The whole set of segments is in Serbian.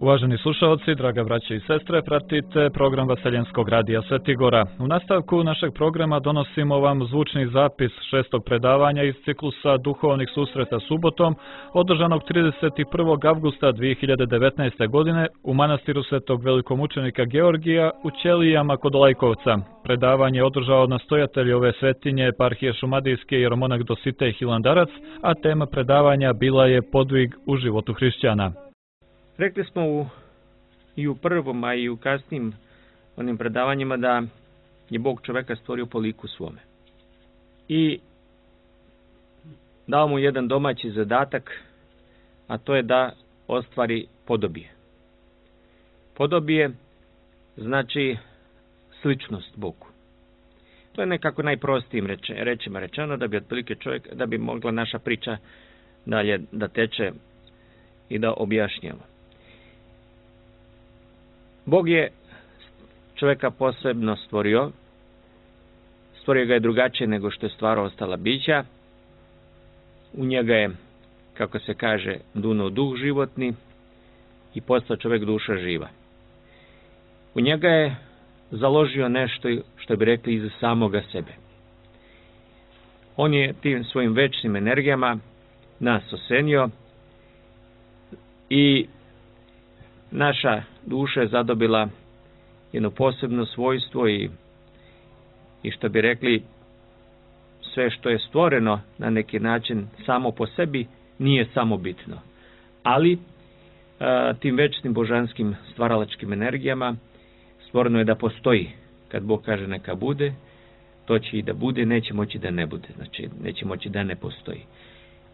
Uvaženi slušalci, draga braće i sestre, pratite program Vaseljenskog radija Svetigora. U nastavku našeg programa donosimo vam zvučni zapis šestog predavanja iz ciklusa duhovnih susreta subotom, održanog 31. avgusta 2019. godine u manastiru Svetog velikomučenika Georgija u Ćelijama kod Lajkovca. Predavanje je održao nastojatelj ove svetinje eparhije Šumadijske jeromonah Dositej Hilandarac, a tema predavanja bila je podvig u životu hrišćana. Rekli smo i u prvom, a i u kasnim onim predavanjima da je Bog čoveka stvorio po liku svome. I dao mu jedan domaći zadatak, a to je da ostvari podobije. Podobije znači sličnost Bogu. To je nekako najprostijim rečima rečeno, da bi otprilike čovjek, da bi mogla naša priča dalje da teče i da objašnjamo. Bog je čovjeka posebno stvorio ga je drugačije nego što je stvarao ostala bića. U njega je, kako se kaže, dunuo duh životni i postao čovjek duša živa. U njega je založio nešto, što bi rekli, iz samoga sebe. On je tim svojim večnim energijama nas osenio i naša duša je zadobila jedno posebno svojstvo i što bi rekli, sve što je stvoreno na neki način samo po sebi nije samo bitno. Ali tim večnim božanskim stvaralačkim energijama stvoreno je da postoji. Kad Bog kaže neka bude, to će i da bude, neće moći da ne bude. Znači, neće moći da ne postoji.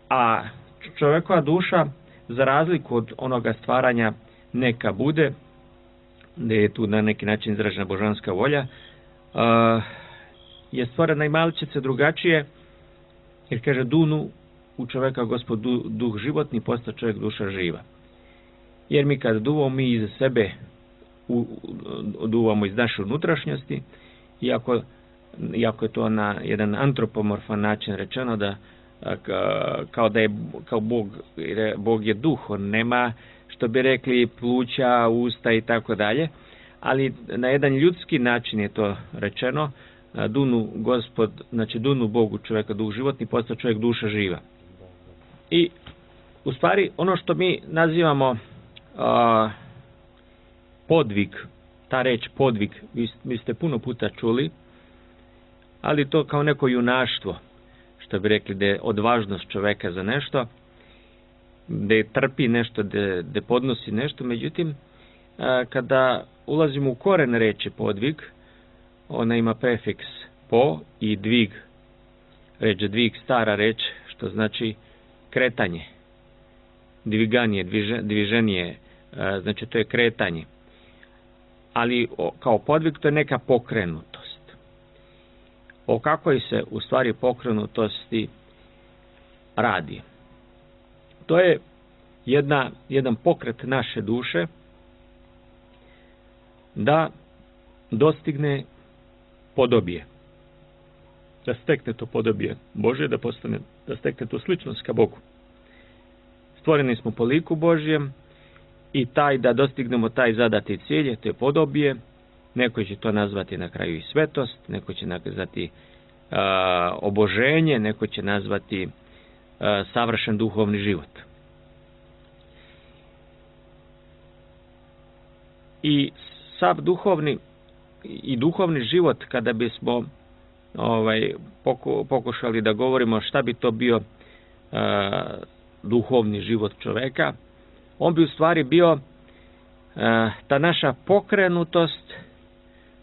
A čovjekova duša, za razliku od onoga stvaranja neka bude, gdje je tu na neki način izražena božanska volja, je stvorena i malčice drugačije, jer kaže dunu u čovjeka Gospod duh životni, posta čovjek duša živa. Jer mi kad duvamo, mi iz sebe duvamo iz naše unutrašnjosti, iako je to na jedan antropomorfan način rečeno, da kao Bog je duh, on nema, što bi rekli, pluća, usta i tako dalje, ali na jedan ljudski način je to rečeno, dunu Gospod, znači dunu Bogu čovjeka duh životni, postao čovjek duša živa. I u stvari ono što mi nazivamo podvig, ta reč podvig, vi ste puno puta čuli, ali to kao neko junaštvo, što bi rekli, da je odvažnost čovjeka za nešto, da je trpi nešto, da podnosi nešto. Međutim, kada ulazimo u koren reči podvig, ona ima prefiks po i dvig. Reč dvig, stara reč, što znači kretanje, dviganje, dviženje, znači to je kretanje. Ali kao podvig to je neka pokrenutost. O kakvoj se u stvari pokrenutosti radi? To je jedan pokret naše duše da dostigne podobije. Da stekne to podobije Božje, da stekne tu sličnost ka Bogu. Stvoreni smo po liku Božjem i da dostignemo taj zadati cilj, to je podobije. Neko će to nazvati na kraju i svetost, neko će nazvati oboženje, neko će nazvati savršen duhovni život. I sav duhovni život, kada bismo pokušali da govorimo šta bi to bio duhovni život čoveka, on bi u stvari bio ta naša pokrenutost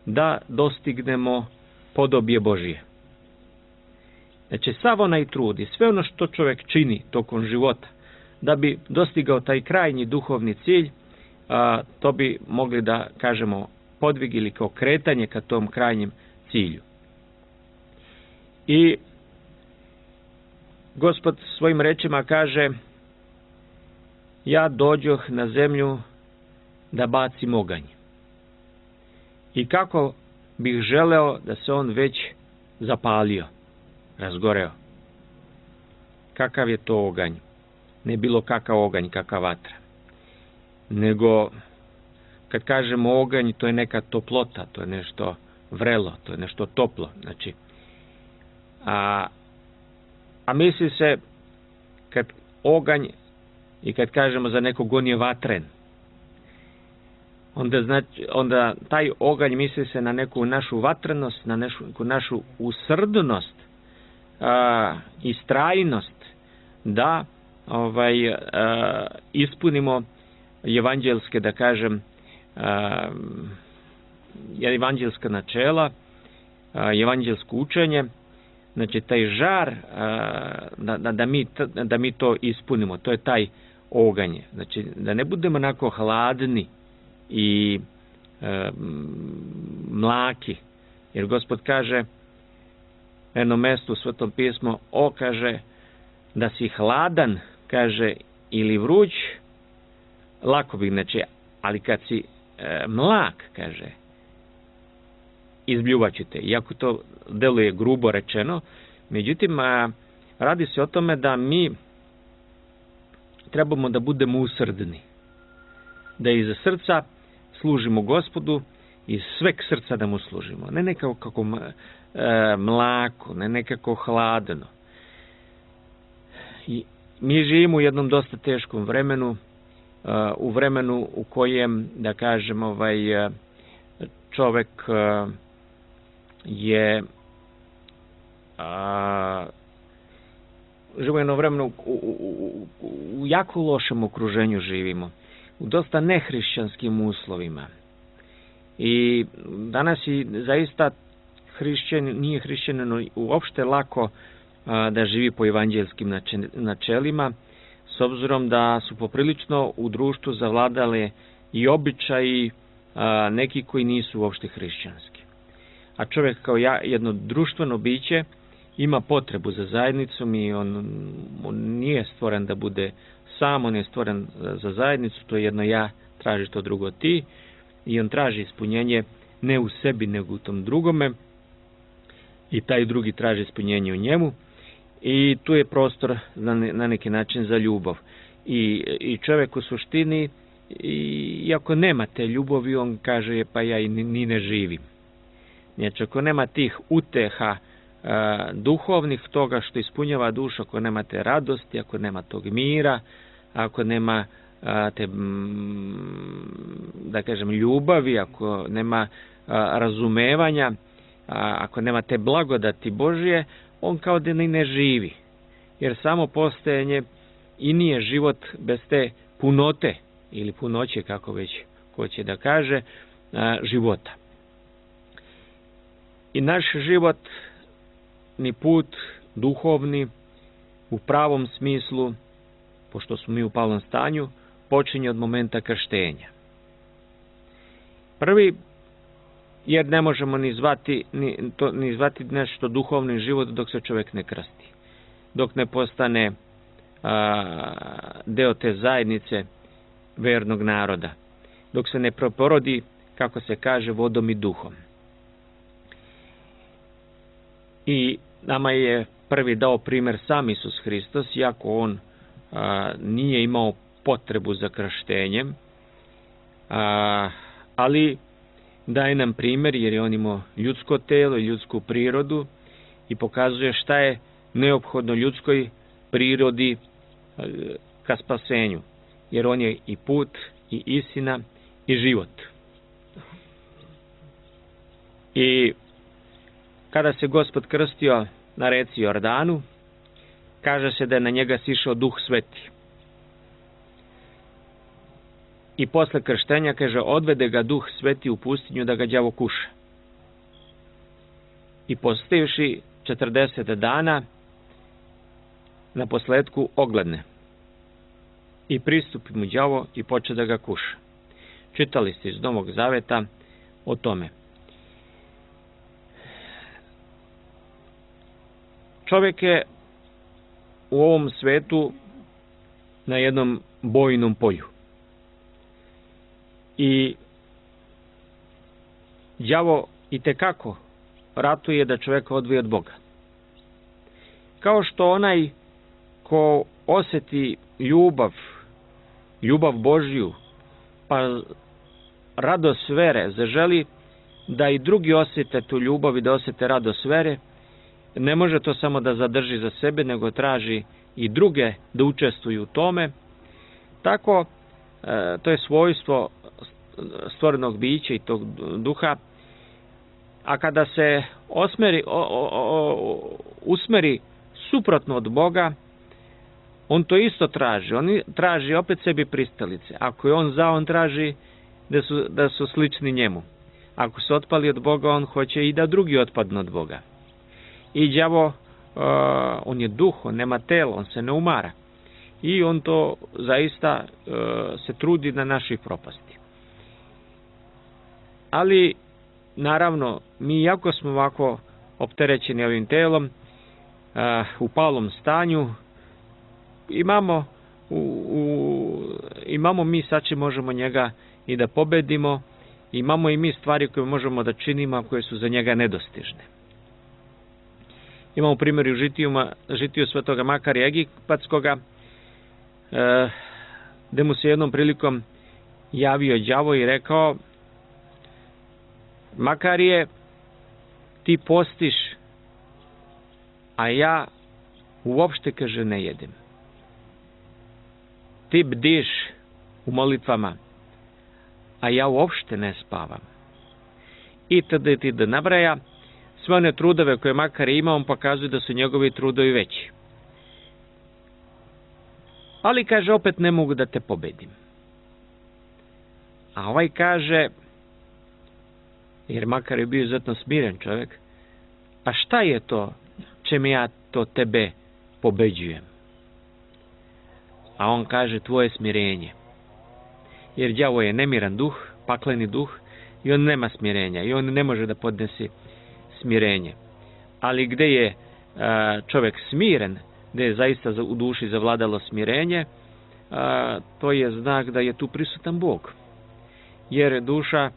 da dostignemo podobije Božije. Znači, sav onaj trud i sve ono što čovjek čini tokom života da bi dostigao taj krajnji duhovni cilj, to bi mogli da kažemo podvig ili kao kretanje ka tom krajnjem cilju. I Gospod svojim rečima kaže: ja dođoh na zemlju da bacim oganj. I kako bih želeo da se on već zapalio, razgoreo. Kakav je to oganj? Ne bilo kakav oganj, kakva vatra. nego kad kažemo oganj, to je neka toplota, to je nešto vrelo, to je nešto toplo. Znači, a misli se kad oganj i kad kažemo za nekog on je vatren, onda taj oganj misli se na neku našu vatrenost, na neku našu usrdnost, istrajnost da ispunimo evanđelske, da kažem, evanđelska načela, evanđelsko učenje. Znači taj žar da mi to ispunimo, to je taj oganj. Znači da ne budemo onako hladni i mlaki, jer Gospod kaže na jednom mjestu u Svetom pismu, kaže da si hladan, kaže, ili vruć, lako bi, znači, ali kad si mlak, kaže, izbljuvat će te. Iako to deluje grubo rečeno, međutim, radi se o tome da mi trebamo da budemo usrdni, da iz srca služimo Gospodu, iz sveg srca da mu služimo. Ne nekako kako mlako, ne nekako hladno. I mi živimo u jednom dosta teškom vremenu, u vremenu u kojem, da kažem, čovek je živo jedno vremenu u jako lošem okruženju živimo, u dosta nehrišćanskim uslovima. I danas i zaista nije hrišćaninu uopšte lako da živi po evanđelskim načelima, s obzirom da su poprilično u društvu zavladale i običaji neki koji nisu uopšte hrišćanski. A čovjek kao jedno društveno biće ima potrebu za zajednicom i on nije stvoren da bude sam, on je stvoren za zajednicu, to je jedno ja, traži to drugo ti, i on traži ispunjenje ne u sebi nego u tom drugome, i taj drugi traži ispunjenje u njemu, i tu je prostor na neki način za ljubav. I čovjek u suštini, iako nema te ljubavi, on kaže pa ja i ni ne živim. Znači, ako nema tih uteha duhovnih, toga što ispunjava dušu, ako nema te radosti, ako nema tog mira, ako nema te, da kažem, ljubavi, ako nema razumevanja, ako nema te blagodati Božje, on kao da ni ne živi. Jer samo postojanje i nije život bez te punote, ili punoće, kako već hoće da kaže, života. I naš život, ni put duhovni, u pravom smislu, pošto smo mi u palom stanju, počinje od momenta krštenja. Prvi, jer ne možemo ni zvati nešto duhovni život dok se čovjek ne krsti. Dok ne postane deo te zajednice vernog naroda. Dok se ne proporodi, kako se kaže, vodom i duhom. I nama je prvi dao primjer sam Isus Hristos, iako on nije imao potrebu za krštenjem, ali daje nam primjer jer je on imao ljudsko telo i ljudsku prirodu i pokazuje šta je neophodno ljudskoj prirodi ka spasenju. Jer on je i put, i istina, i život. I kada se Gospod krstio na reci Jordanu, kaže se da je na njega sišao Duh Sveti. I posle krštenja, kaže, odvede ga Duh Sveti u pustinju da ga đavo kuša. I postivši 40 dana, na posledku ogledne. I pristupi mu đavo i poče da ga kuša. Čitali ste iz Novog Zaveta o tome. Čovjek je u ovom svetu na jednom bojnom polju. I đavo itekako ratuje da čovjeka odvoji od Boga. Kao što onaj ko osjeti ljubav Božju pa radost vere zaželi da i drugi osjete tu ljubav i da osjete radost vere, ne može to samo da zadrži za sebe, nego traži i druge da učestvuju u tome. Tako, to je svojstvo stvorenog bića i tog duha, a kada se usmeri suprotno od Boga, on to isto traži. On traži opet sebi pristalice. Ako je on za, on traži da su slični njemu. Ako se otpali od Boga, on hoće i da drugi otpadnu od Boga. I đavo, on je duh, on nema telo, on se ne umara. I on to zaista se trudi na našoj propasti. Ali, naravno, mi jako smo ovako opterećeni ovim telom, u palom stanju, imamo mi sad možemo njega i da pobedimo, imamo i mi stvari koje možemo da činimo, a koje su za njega nedostižne. Imamo primjer u žitiju svetoga Makarija Egipatskoga, gde mu se jednom prilikom javio đavo i rekao: Makarije, ti postiš, a ja uopšte, kaže, ne jedem. Ti bdiš u molitvama, a ja uopšte ne spavam. I tada ti da nabraja sve one trudove koje Makarije ima, on pokazuje da su njegovi trudovi veći. Ali, kaže, opet ne mogu da te pobedim. A ovaj kaže, jer Makar je bio izuzetno smiren čovjek, a šta je to čime ja to tebe pobeđujem? A on kaže, tvoje smirenje. Jer đavo je nemiran duh, pakleni duh, i on nema smirenja, i on ne može da podnesi smirenje. Ali gde je čovjek smiren, gde je zaista u duši zavladalo smirenje, to je znak da je tu prisutan Bog. Jer duša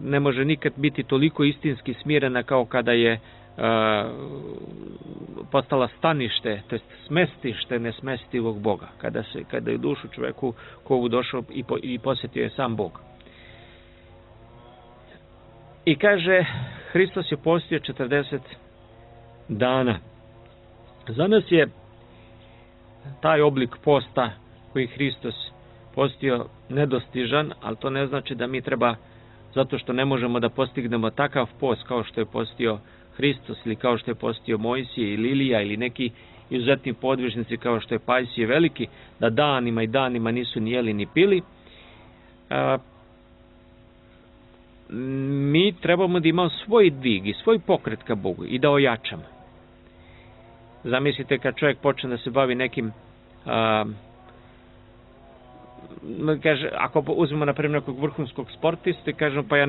ne može nikad biti toliko istinski smirena kao kada je postala stanište, to jest smestište nesmestivog Boga. Kada je u dušu čovjeku kovu došao i posjetio je sam Bog. I kaže, Hristos je postio 40 dana. Za nas je taj oblik posta koji Hristos postio nedostižan, ali to ne znači da mi treba, zato što ne možemo da postignemo takav post kao što je postio Hristos ili kao što je postio Mojsije ili Ilija ili neki izuzetni podvižnici kao što je Pajsije Veliki, da danima i danima nisu ni jeli ni pili. Mi trebamo da imamo svoj dig i svoj pokret ka Bogu i da ojačamo. Zamislite kad čovjek počne da se bavi nekim, kaže, ako uzmemo na primjer nekog vrhunskog sportista i kažemo, pa ja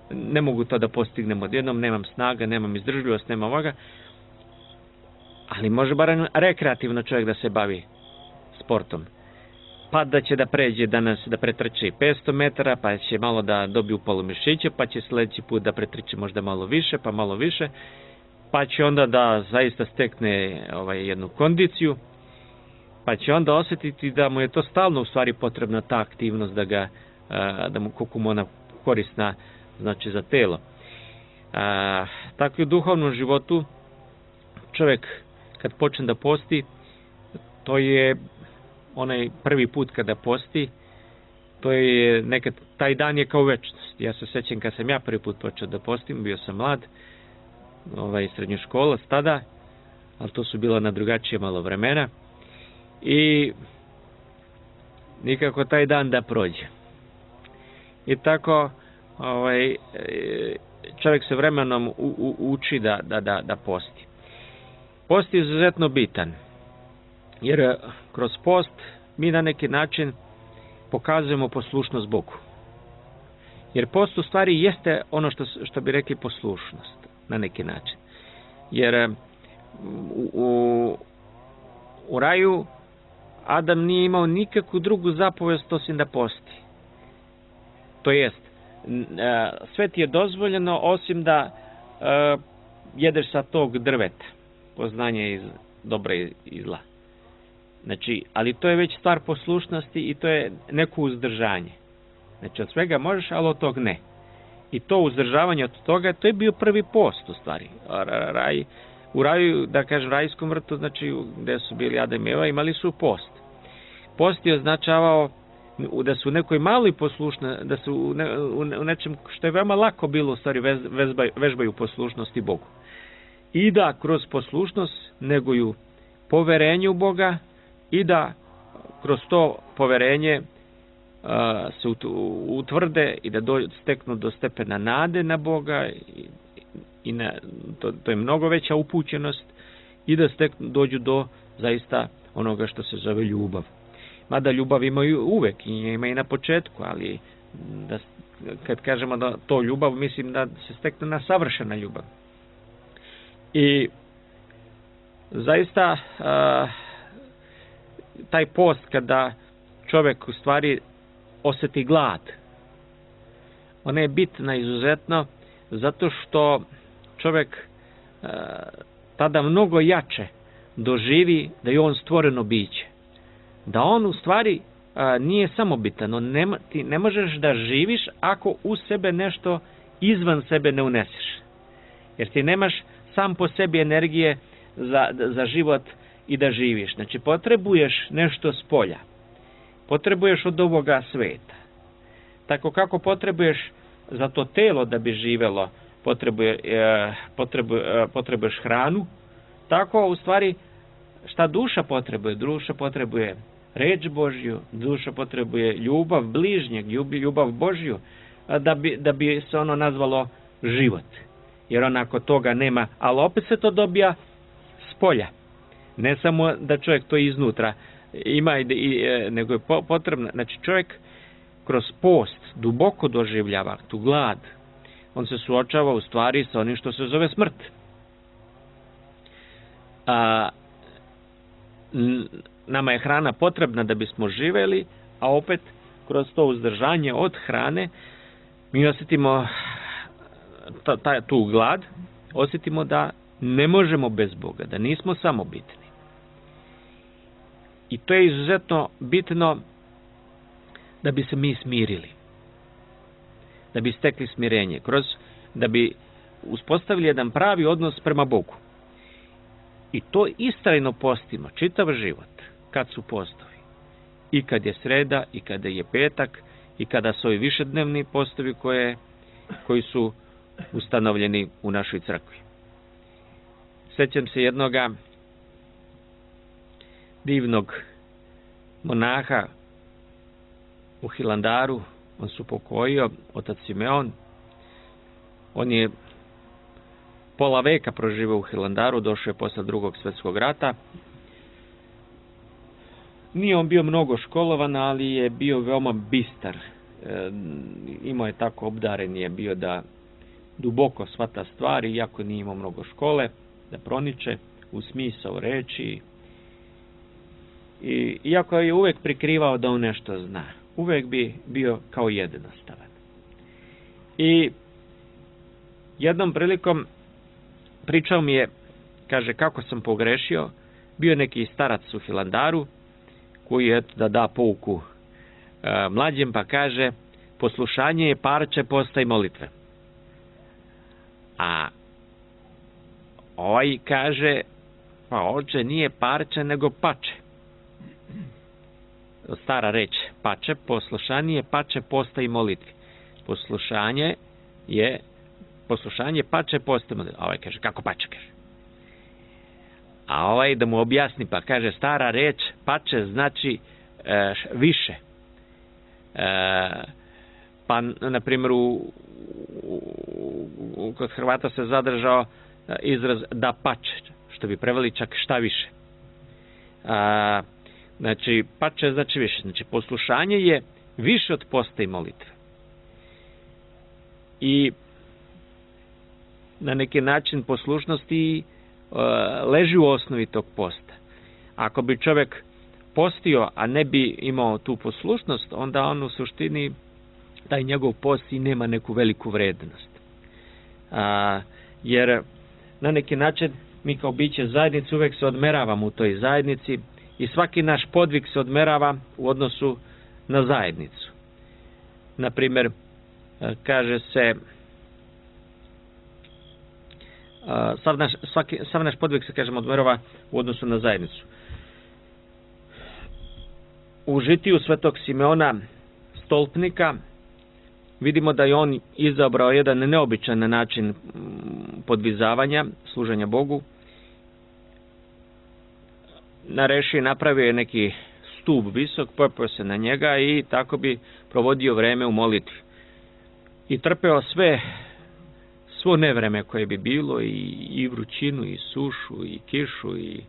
ne mogu to da postignem odjednom, nemam snaga, nemam izdržljivost, nemam ovoga, ali može barem rekreativno čovjek da se bavi sportom. Pa da će da pređe danas, da pretrči 500 metara, pa će malo da dobije upalu mišića, pa će sljedeći put da pretrči možda malo više, pa malo više, pa će onda da zaista stekne jednu kondiciju, pa će onda osjetiti da mu je to stalno u stvari potrebna ta aktivnost da mu koliko mu ona korisna, znači za telo. Tako i u duhovnom životu čovjek kad počne da posti, to je onaj prvi put kada posti, to je nekad, taj dan je kao večnost. Ja se sjećam kad sam ja prvi put počeo da postim, bio sam mlad, srednjoškolac tada, ali to su bila na drugačije malo vremena i nikako taj dan da prođe. I tako čovjek se vremenom uči da posti. Post je izuzetno bitan, jer kroz post mi na neki način pokazujemo poslušnost Bogu. Jer post u stvari jeste ono što bi rekli poslušnost na neki način. Jer u raju Adam nije imao nikakvu drugu zapovest osim da posti. To jest, sve ti je dozvoljeno osim da jedeš sa tog drveta, poznanje iz dobra i zla. Znači, ali to je već stvar poslušnosti i to je neko uzdržanje. Znači, od svega možeš, ali od tog ne. I to uzdržavanje od toga, to je bio prvi post u stvari. U raju, da kažem, rajskom vrtu, znači gde su bili Adam i Eva, imali su post. Post je označavao da su u nekoj maloj poslušnosti, da su u nečem što je veoma lako bilo u stvari vežbaju poslušnosti Bogu. I da kroz poslušnost neguju poverenje u Boga i da kroz to poverenje se utvrde i da steknu do stepena nade na Boga i to je mnogo veća upućenost i da dođu do zaista onoga što se zove ljubav. Mada ljubav imaju uvek i ima i na početku, ali kad kažemo da to ljubav, mislim da se stekne na savršena ljubav. I zaista taj post kada čovjek u stvari osjeti glad, ona je bitna izuzetno zato što čovjek tada mnogo jače doživi da je on stvoreno biće. Da on u stvari nije samobitan. Ti ne možeš da živiš ako u sebe nešto izvan sebe ne uneseš. Jer ti nemaš sam po sebi energije za život i da živiš. Znači potrebuješ nešto s polja. Potrebuješ od ovoga sveta. Tako kako potrebuješ za to telo da bi živelo, potrebuješ hranu, tako u stvari šta duša potrebuje? Duša potrebuje reč Božju, duša potrebuje ljubav bližnjeg, ljubav Božju, da bi se ono nazvalo život. Jer onako toga nema, ali opet se to dobija s polja. Ne samo da čovjek to iznutra ima, nego je potrebno. Znači čovjek kroz post duboko doživljava tu glad. On se suočava u stvari sa onim što se zove smrt. Nama je hrana potrebna da bismo živeli, a opet kroz to uzdržanje od hrane mi osjetimo tu glad, osjetimo da ne možemo bez Boga, da nismo samobitni. I to je izuzetno bitno da bi se mi smirili, da bi stekli smirenje, da bi uspostavili jedan pravi odnos prema Bogu. I to istrajno postimo, čitav život, kad su postovi. I kad je sreda, i kada je petak, i kada su ovi višednevni postovi koji su ustanovljeni u našoj crkvi. Sjećam se jednoga divnog monaha u Hilandaru, on se upokojio, otac Simeon. On je pola veka proživao u Hilandaru, došao je posle Drugog svjetskog rata. Nije on bio mnogo školovan, ali je bio veoma bistar. Imao je tako obdaren je bio da duboko shvata stvari, iako nije imao mnogo škole, da proniče u smisao reči. I iako je uvek prikrivao da on nešto zna, uvek bi bio kao jednostavan. I jednom prilikom pričao mi je, kaže, kako sam pogrešio. Bio neki starac u Hilandaru koji je da da pouku mlađem, pa kaže, poslušanje je parče posta i molitve. A ovaj kaže, pa oče, nije parče nego pače. Stara reč, pače, poslušanje je pače posta i molitve. Poslušanje pače posta i molitve. A ovaj kaže, kako pače, kaže. A ovaj da mu objasni, pa kaže, stara reč, pače znači više. Pa, na primjer, kod Hrvata se zadržao izraz da pače, što bi preveli čak šta više. Znači, pače znači više. Znači, poslušanje je više od posta i molitve. I na neki način poslušnosti leži u osnovi tog posta. Ako bi čovjek postio, a ne bi imao tu poslušnost, onda on u suštini, taj njegov post i nema neku veliku vrednost. Jer na neki način mi kao biće zajednice uvek se odmeravamo u toj zajednici i svaki naš podvig se odmerava u odnosu na zajednicu. Na primjer, kaže se, sav naš podvig se, kažem, odmerava u odnosu na zajednicu. U žitiju svetog Simeona Stolpnika vidimo da je on izabrao jedan neobičan način podvizavanja, služenja Bogu. Napravio je neki stup visok, popeo se na njega i tako bi provodio vreme u molitvi. I trpeo svo nevreme koje bi bilo, i vrućinu, i sušu, i kišu, i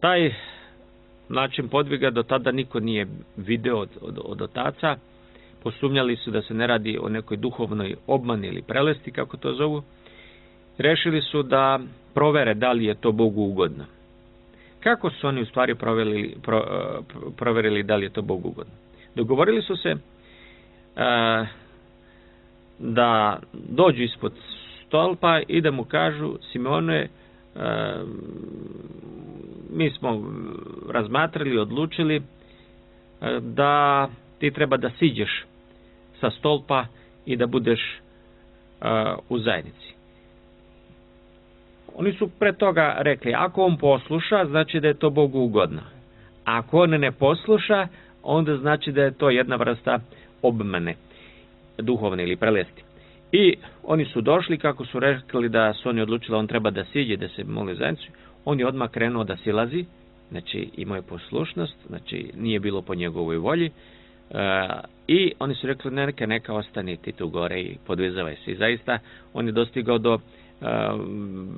taj način podviga do tada niko nije video od otaca. Posumnjali su da se ne radi o nekoj duhovnoj obmani ili prelesti, kako to zovu. Rešili su da provere da li je to Bogu ugodno. Kako su oni u stvari proverili da li je to Bogu ugodno? Dogovorili su se da dođu ispod stolpa i da mu kažu: Simeone, mi smo razmatrali, odlučili da ti treba da siđeš sa stolpa i da budeš u zajednici. Oni su pre toga rekli: ako on posluša, znači da je to Bogu ugodno. Ako on ne posluša, onda znači da je to jedna vrsta obmane, duhovne ili prelesti. I oni su došli, kako su rekli da su oni odlučili, on treba da siđe, da se moli zajednicu. On je odmah krenuo da silazi, znači imao je poslušnost, znači nije bilo po njegovoj volji. I oni su rekli: neka ostani ti tu gore i podvezavaj se. I zaista on je dostigao do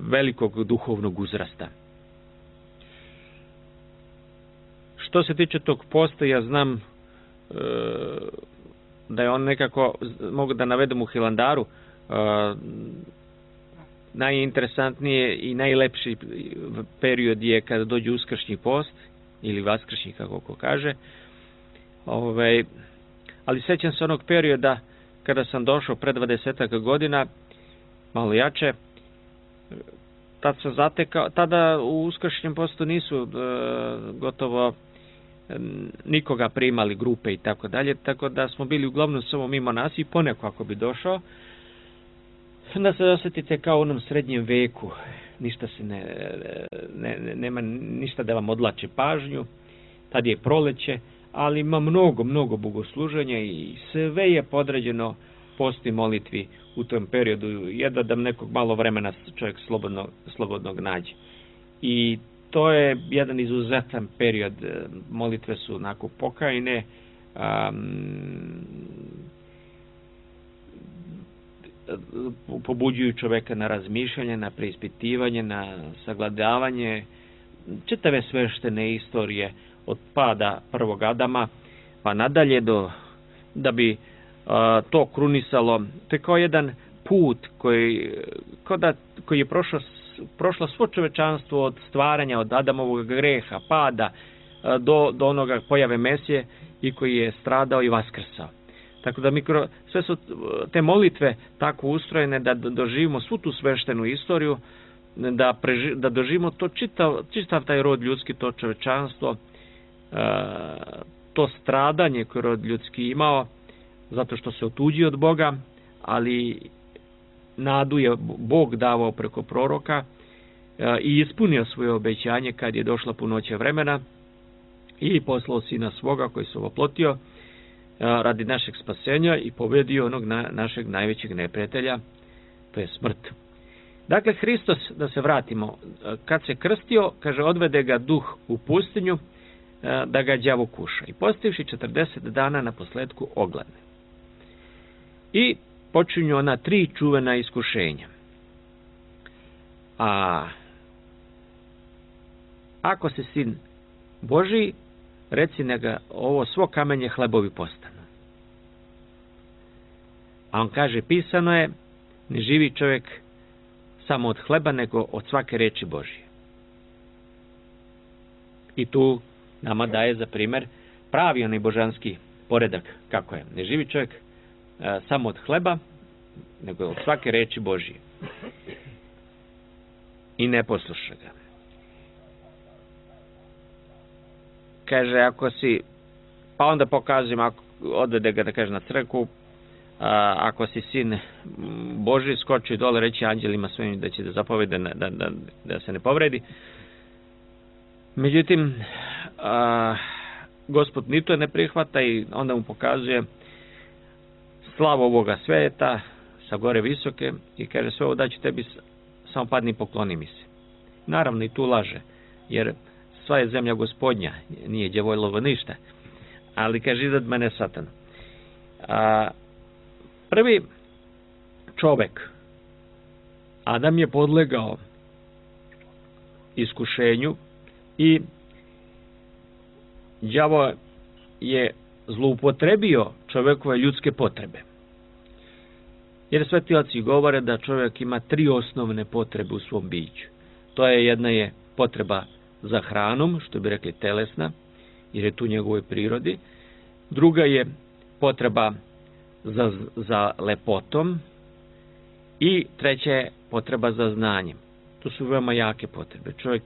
velikog duhovnog uzrasta. Što se tiče tog posta, ja znam da je on nekako, mogu da navedem u Hilandaru, najinteresantnije i najlepši period je kada dođe uskršnji post, ili vaskršnji, kako ko kaže. Ali sećam se onog perioda kada sam došao pre 20 godina, malo jače. Tad sam zatekao, tada u uskršnjem postu nisu gotovo nikoga primali, grupe i tako dalje, tako da smo bili uglavnom samo mimo nas, i poneko ako bi došao, da se osjetite kao u onom srednjem veku, ništa se nema ništa da vam odlači pažnju, tad je proleće, ali ima mnogo bogosluženja i sve je podređeno postu i molitvi u tom periodu, jedva da nekog malo vremena čovjek slobodnog nađe. I to je jedan izuzetan period, molitve su onako pokajne, pobuđuju čovjeka na razmišljanje, na preispitivanje, na sagledavanje čitave sveštene istorije od pada prvog Adama pa nadalje, da bi to krunisalo. To je kao jedan put koji je prošlo svo čovečanstvo od stvaranja, od Adamovog greha, pada do onoga pojave Mesije, i koji je stradao i vaskrsao. Tako da sve su te molitve tako ustrojene da doživimo svu tu sveštenu istoriju, da doživimo to čitav taj rod ljudski, to čovečanstvo, to stradanje koje rod ljudski imao, zato što se otuđio od Boga, ali nadu je Bog davao preko proroka i ispunio svoje obećanje kad je došla punoća vremena i poslao Sina svoga koji se oplotio radi našeg spasenja i pobedio onog našeg najvećeg neprijatelja, to je smrt. Dakle, Hristos, da se vratimo, kad se krstio, kaže, odvede ga duh u pustinju da ga đavo kuša. I postivši 40 dana na posledku ogladne. I počinju ona 3 čuvena iskušenja. A ako si sin Božiji, reci neka ovo svo kamenje hlebovi postanu. A on kaže, pisano je, ne živi čovjek samo od hleba, nego od svake reči Božije. I tu nama daje za primjer pravi onaj božanski poredak, kako je. Ne živi čovjek samo od hleba, nego od svake reči Božije. I ne posluša ga. kaže, ako si, pa onda pokazujem, odvede ga, da kaže, na crkvu, ako si sin Boži, skoči dole, reći anđelima svojim da će da zapovede da se ne povredi. Međutim, Gospod ni to ne prihvata i onda mu pokazuje slavu ovoga sveta sa gore visoke i kaže, sve ovo daću tebi, samo padni i pokloni mi se. Naravno i tu laže, jer sva je zemlja Gospodnja, nije đavoljlovo ništa, ali kaže, izad mene Satan. Prvi čovek, Adam, je podlegao iskušenju i đavo je zloupotrebio čovekove ljudske potrebe. Jer sveti oci govore da čovjek ima 3 osnovne potrebe u svom biću. To je, jedna je potreba za hranom, što bi rekli telesna, jer je tu njegovoj prirodi. Druga je potreba za lepotom i treća je potreba za znanjem. To su veoma jake potrebe. Čovjek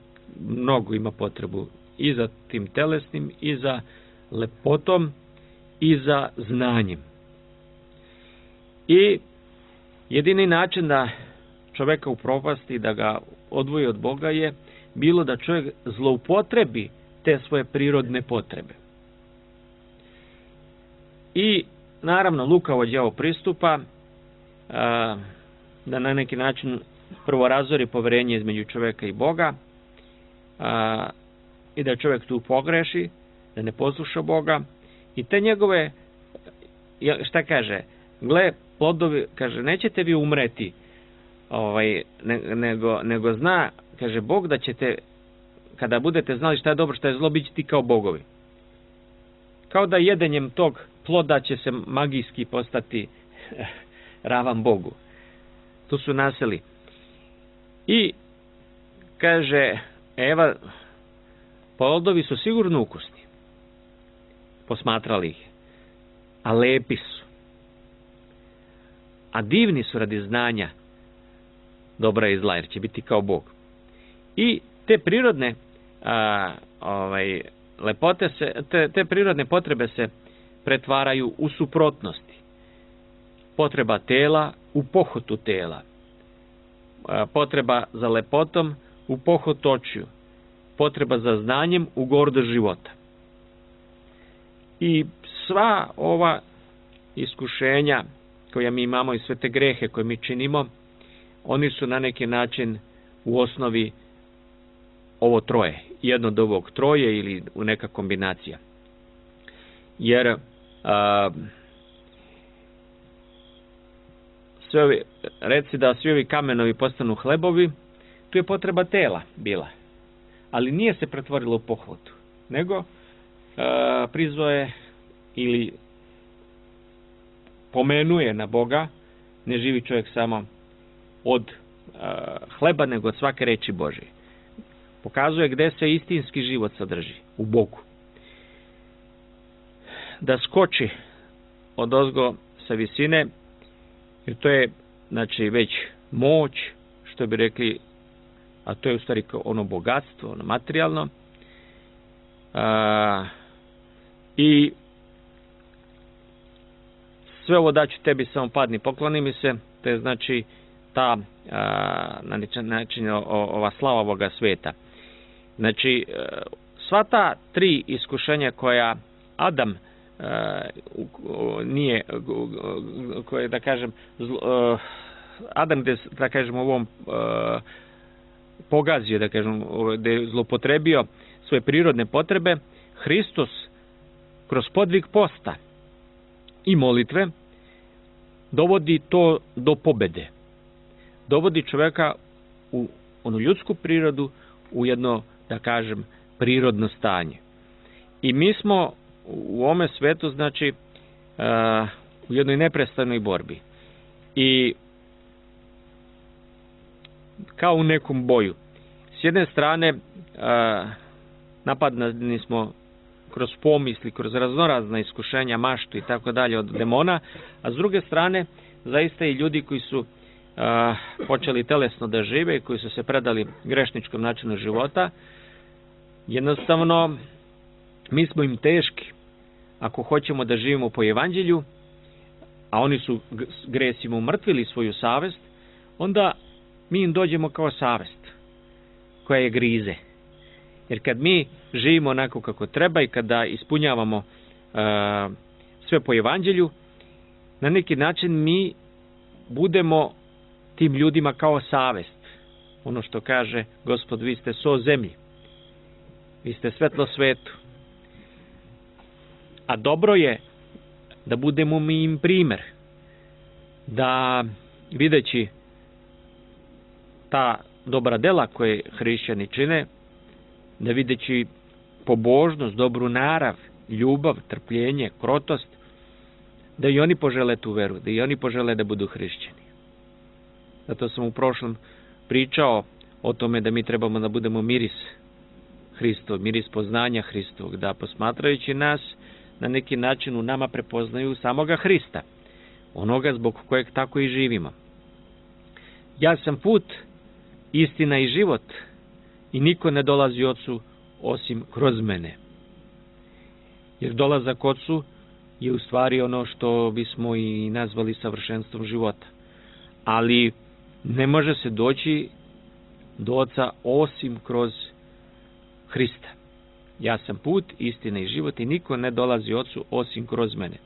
mnogo ima potrebu i za tim telesnim, i za lepotom, i za znanjem. I jedini način da čovjeka upropasti, da ga odvoji od Boga, je bilo da čovjek zloupotrebi te svoje prirodne potrebe. I naravno lukavo đavo pristupa da na neki način prvo razori poverenje između čovjeka i Boga i da čovjek tu pogreši, da ne posluša Boga i te njegove, šta kaže, gle plodovi, kaže, nećete vi umreti, nego zna, kaže, Bog da ćete, kada budete znali šta je dobro, šta je zlo, bit će ti kao bogovi. Kao da jedenjem tog ploda će se magijski postati ravan Bogu. Tu su naseli. I kaže, Eva, plodovi su sigurno ukusni. Posmatrali ih. A lepi su. A divni su radi znanja dobra i zla, jer će biti kao Bog. I te prirodne lepote te prirodne potrebe se pretvaraju u suprotnosti. Potreba tela u pohotu tela. Potreba za lepotom u pohot očiju. Potreba za znanjem u gordost života. I sva ova iskušenja koja mi imamo i sve te grehe koje mi činimo, oni su na neki način u osnovi ovo troje. Jedno od ovog troje ili u neka kombinacija. Jer reci da svi ovi kamenovi postanu hlebovi, tu je potreba tela bila. Ali nije se pretvorilo u pohletu, nego prizvao je ili pomenuje na Boga, ne živi čovjek samo od hleba, nego od svake reči Božije. Pokazuje gdje se istinski život sadrži, u Bogu. Da skoči od ozgo sa visine, jer to je, znači, već moć, što bi rekli, a to je u stvari ono bogatstvo, ono materijalno. I sve ovo daću tebi, samo padni, pokloni mi se. To je znači ta na način ova slava ovoga sveta. Znači, sva ta 3 iskušenja koja Adam nije, koje, da kažem, Adam, da kažem, ovom pogazio, da kažem, da je zlopotrebio svoje prirodne potrebe, Hristos kroz podvig posta i molitve dovodi to do pobede. Dovodi čovjeka u onu ljudsku prirodu, u jedno, da kažem, prirodno stanje. I mi smo u ovome svetu, znači, u jednoj neprestanoj borbi. I kao u nekom boju. S jedne strane, napadani smo kroz pomisli, kroz raznorazna iskušenja, maštu i tako dalje od demona, a s druge strane, zaista i ljudi koji su počeli telesno da žive i koji su se predali grešničkom načinu života, jednostavno mi smo im teški ako hoćemo da živimo po evanđelju, a oni su gresima umrtvili svoju savest, onda mi im dođemo kao savest koja je grize. Jer kad mi živimo onako kako treba i kada ispunjavamo sve po evanđelju, na neki način mi budemo tim ljudima kao savest. Ono što kaže Gospod, vi ste so zemlji, vi ste svetlo svetu. A dobro je da budemo mi im primer, da videći ta dobra dela koje hrišćani čine, da videći pobožnost, dobru narav, ljubav, trpljenje, krotost, da i oni požele tu veru, da i oni požele da budu hrišćani. Zato sam u prošlom pričao o tome da mi trebamo da budemo miris Hristov, miris poznanja Hristovog, da posmatrajući nas na neki način u nama prepoznaju samoga Hrista, onoga zbog kojeg tako i živimo. Ja sam put, istina i život, i niko ne dolazi Ocu osim kroz mene. Jer dolazak Ocu je u stvari ono što bismo i nazvali savršenstvom života. Ali ne može se doći do Oca osim kroz Hrista. Ja sam put, istina i život, i niko ne dolazi Ocu osim kroz mene.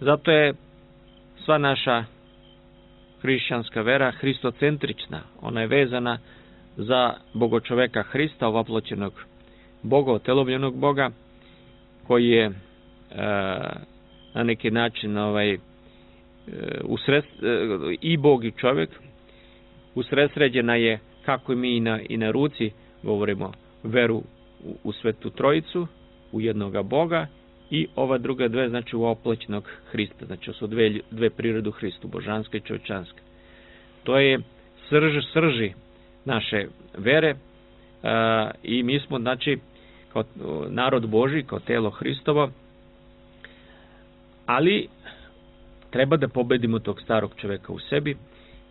Zato je sva naša hrišćanska vera hristocentrična. Ona je vezana za bogočoveka Hrista, ovaploćenog Boga, otelovljenog Boga, koji je na neki način i Bog i čovjek. Usredsređena je, kako mi i na ruci govorimo, veru u Svetu Trojicu, u jednoga Boga, i ova druga dve, znači u oploćenog Hrista. Znači su dve prirode u Hristu, božanska i čovječanska. To je srži naše vere, i mi smo, znači, kao narod Božji, kao telo Hristovo, ali treba da pobedimo tog starog čovjeka u sebi,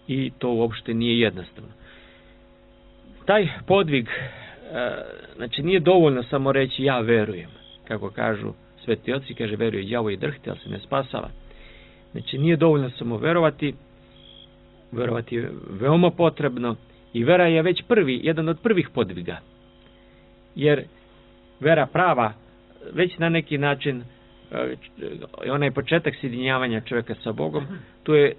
i to uopšte nije jednostavno. Taj podvig, znači nije dovoljno samo reći ja verujem, kako kažu sveti oci, kaže veruje đavo i drhti, ali se ne spasava. Znači nije dovoljno samo verovati je veoma potrebno, i vera je već jedan od prvih podviga. Jer vera prava, već na neki način, onaj početak sjedinjavanja čovjeka sa Bogom,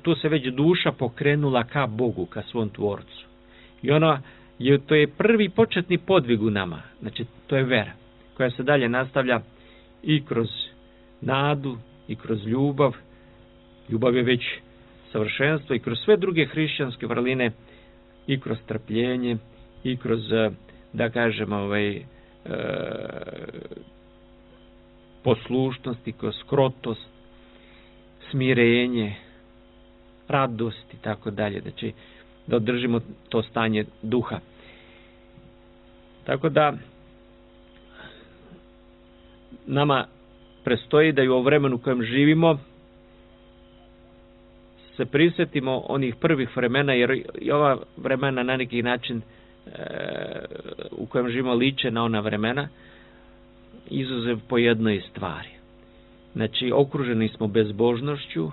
tu se već duša pokrenula ka Bogu, ka svom tvorcu. I to je prvi početni podvig u nama. Znači, to je vera, koja se dalje nastavlja i kroz nadu, i kroz ljubav. Ljubav je već savršenstvo, i kroz sve druge hrišćanske vrline, i kroz trpljenje, i kroz, da kažemo, poslušnost, i kroz krotost, smirenje, radost i tako dalje. Znači, da održimo to stanje duha. Tako da nama prestoji da i u vremenu u kojem živimo se prisjetimo onih prvih vremena, jer i ova vremena na neki način u kojem živimo liče na ona vremena, izuzev po jednoj stvari. Znači, okruženi smo bezbožnošću,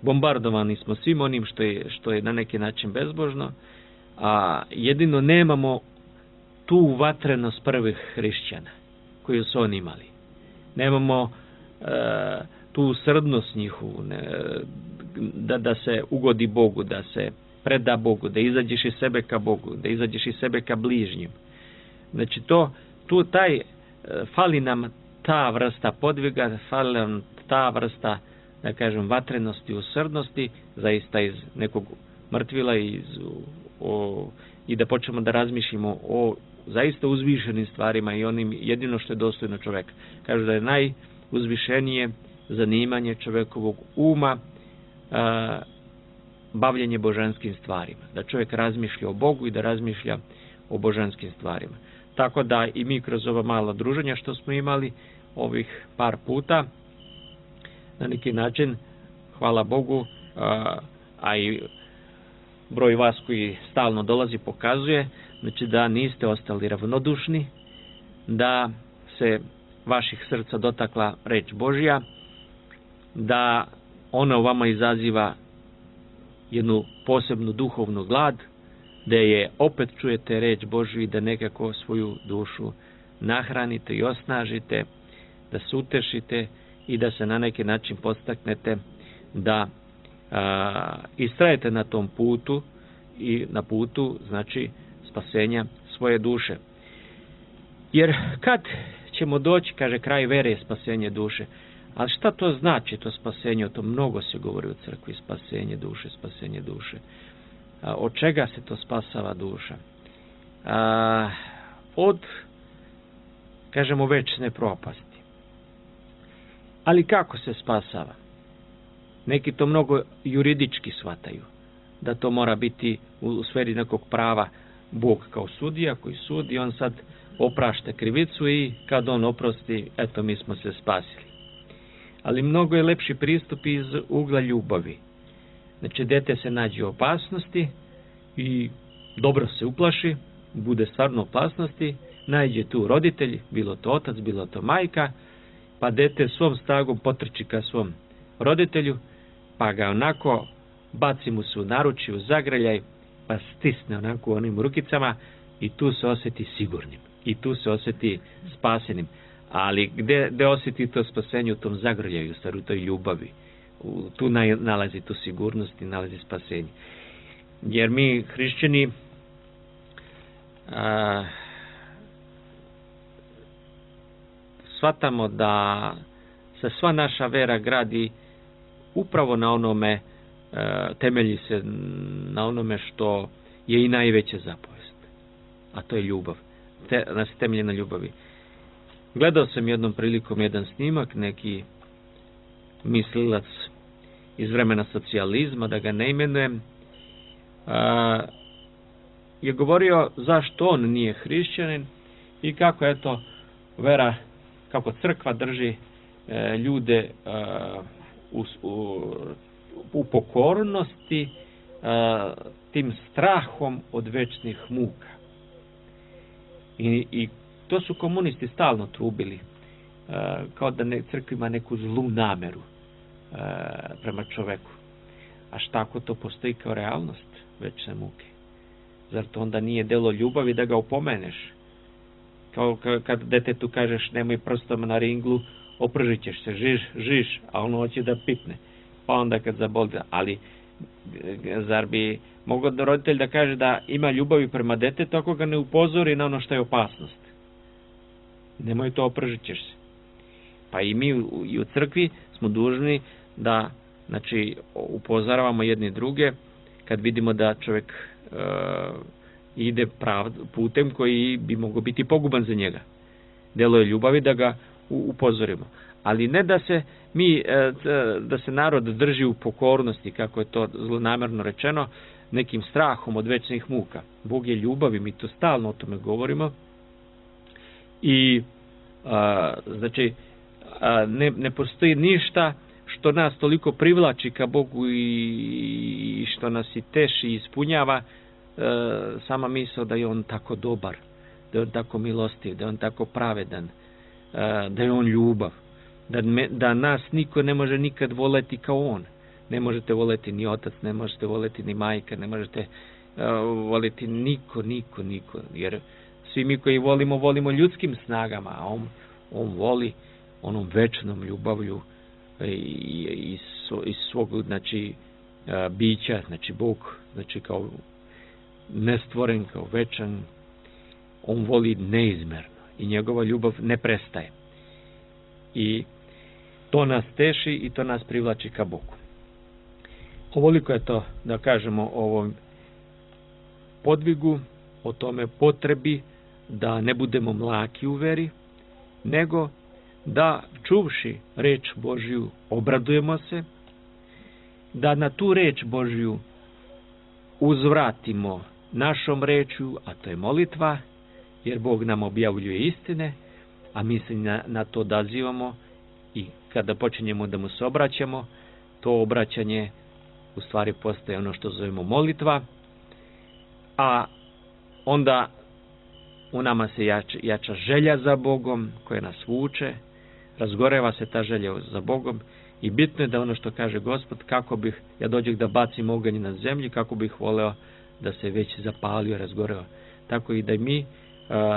bombardovani smo svim onim što je na neki način bezbožno, a jedino nemamo tu vatrenost prvih hrišćana koju su oni imali. Nemamo tu srdnost njihovu, da se ugodi Bogu, da se preda Bogu, da izađeš iz sebe ka Bogu, da izađeš iz sebe ka bližnjim. Znači fali nam ta vrsta podviga, fali nam ta vrsta, da kažem, vatrenosti, usrdnosti, zaista iz nekog mrtvila i da počnemo da razmišljamo o zaista uzvišenim stvarima i onim jedino što je dostojno čoveka. Kažu da je najuzvišenije zanimanje čovekovog uma bavljenje božanskim stvarima. Da čovjek razmišlja o Bogu i da razmišlja o božanskim stvarima. Tako da i mi kroz ova mala druženja što smo imali ovih par puta, na neki način, hvala Bogu, a i broj vas koji stalno dolazi pokazuje, znači da niste ostali ravnodušni, da se vaših srca dotakla reč Božja, da ona u vama izaziva jednu posebnu duhovnu glad, da je opet čujete reč Božju i da nekako svoju dušu nahranite i osnažite, da se utešite i da se na neki način podstaknete da istrajete na tom putu i na putu, znači, spasenja svoje duše. Jer kad ćemo doći, kaže, kraj vere je spasenje duše. Ali šta to znači, to spasenje? O tom mnogo se govori u crkvi, spasenje duše, spasenje duše. Od čega se to spasava duša? Od, kažemo, večne propasti. Ali kako se spasava? Neki to mnogo juridički shvataju, da to mora biti u sferi nekog prava. Bog kao sudija koji sudi, on sad oprašta krivicu i kad on oprosti, eto, mi smo se spasili. Ali mnogo je lepši pristup iz ugla ljubavi. Znači, dete se nađe u opasnosti i dobro se uplaši, bude stvarno u opasnosti, nađe tu roditelj, bilo to otac, bilo to majka, pa dete svom snagom potrči ka svom roditelju, pa ga onako baci mu se u naručje, u zagrljaj, pa stisne onako onim rukicama i tu se osjeti sigurnim. I tu se osjeti spasenim. Ali gde osjeti to spasenje? U tom zagrljaju, u toj ljubavi. Tu nalazi tu sigurnost i nalazi spasenje. Jer mi, hrišćani, shvatamo da se sva naša vera gradi upravo na onome, temelji se na onome što je i najveća zapovest. A to je ljubav. Nas temelji na ljubavi. Gledao sam jednom prilikom jedan snimak, neki mislilac iz vremena socijalizma, da ga ne imenujem, je govorio zašto on nije hrišćanin i kako, eto, vera, kako crkva drži ljude u pokornosti, tim strahom od večnih muka. I to su komunisti stalno trubili, kao da crkva ima neku zlu nameru prema čoveku. A šta ako to postoji kao realnost večne muke? Zar to onda nije delo ljubavi da ga opomeneš? Kao kad detetu kažeš nemoj prstom na ringlu, opržit ćeš se, žiš, a ono hoće da pipne. Pa onda kad zaboli, ali zar bi mogao roditelj da kaže da ima ljubavi prema detetu ako ga ne upozori na ono što je opasnost? Nemoj to, opržit ćeš se. Pa i mi i u crkvi smo dužni da, znači, upozoravamo jedni druge kad vidimo da čovjek ide putem koji bi mogao biti poguban za njega. Delo je ljubavi da ga upozorimo. Ali ne da se da se narod drži u pokornosti, kako je to zlonamerno rečeno, nekim strahom od večnih muka. Bog je ljubav i mi to stalno o tome govorimo. I znači ne postoji ništa što nas toliko privlači ka Bogu i što nas i teši i ispunjava, sama misao da je on tako dobar, da je on tako milostiv, da je on tako pravedan, da je on ljubav, da nas niko ne može nikad voleti kao on. Ne možete voleti ni otac, ne možete voleti ni majka, ne možete voleti niko, jer svi mi koji volimo ljudskim snagama, a on voli onom večnom ljubavlju iz svog, znači, bića, znači Bog, znači kao nestvoren, kao večan, on voli neizmerno i njegova ljubav ne prestaje. I to nas teši i to nas privlači ka Bogu. Ovoliko je to, da kažemo, o ovom podvigu, o tome potrebi da ne budemo mlaki u veri, nego da, čuvši reč Božju, obradujemo se, da na tu reč Božju uzvratimo našom rečju, a to je molitva, jer Bog nam objavljuje istine, a mi se na to odazivamo i kada počinjemo da mu se obraćamo, to obraćanje u stvari postaje ono što zovemo molitva, a onda u nama se jača želja za Bogom koja nas vuče, razgoreva se ta želja za Bogom i bitno je da ono što kaže Gospod, kako bih ja dođeh da bacim oganj na zemlji, kako bih voleo da se već zapalio, razgoreo. Tako i da mi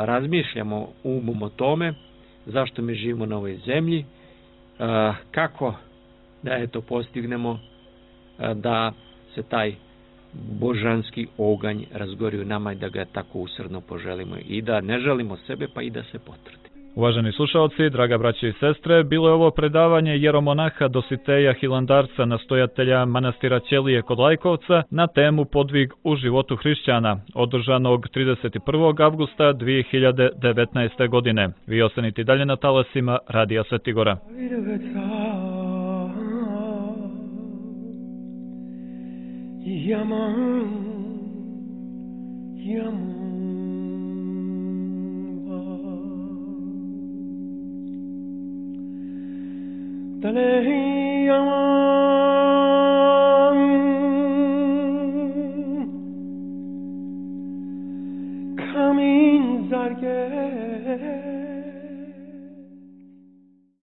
razmišljamo umom o tome zašto mi živimo na ovoj zemlji, kako da postignemo da se taj božanski oganj razgori u nama i da ga tako usrdno poželimo i da ne želimo sebe pa i da se potvrdi. Uvaženi slušalci, draga braće i sestre, bilo je ovo predavanje jeromonaha Dositeja Hilandarca, nastojatelja manastira Ćelije kod Lajkovca, na temu Podvig u životu hrišćana, održanog 31. avgusta 2019. godine. Vi ostanite dalje na talasima Radija Svetigora. Talehi yaman